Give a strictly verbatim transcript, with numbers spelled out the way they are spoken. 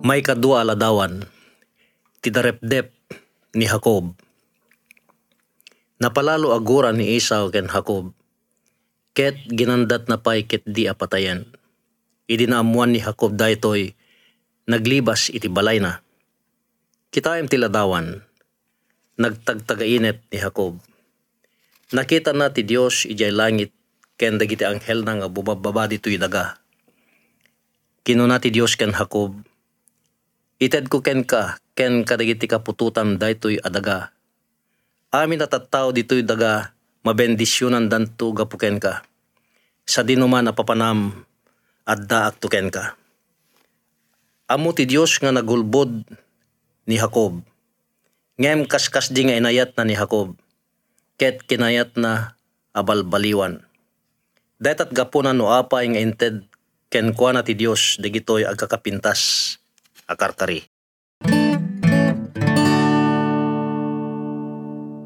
Maikadua a ladawan, ti darepdep ni Jacob. Napalalo a gura ni Esau ken Jacob, ket ginandatna pay ketdi a patayen. Idi naammoan ni Jacob daytoy, naglibas iti balayna. Kitaem ti ladawan, nagtagtagainep ni Jacob. Nakitana ti Dios idiay langit ken dagiti anghelna nga bumabbaba ditoy daga. Kinuna ti Dios ken Jacob, "Itedko kenka ken kadagiti kaputotam daytoy a daga. Amin a tattao ditoy daga, mabendisionandanto gapu kenka. Sadinoman a papanam, addaakto kenka." Ammo ti Dios nga nagulbod ni Jacob, ngem kaskasdi nga inayatna ni Jacob, ket kinayatna a balbaliwan. Dayta ti gapuna no apay nga inted kenkuana ti Dios dagitoy agkakapintas a karkari.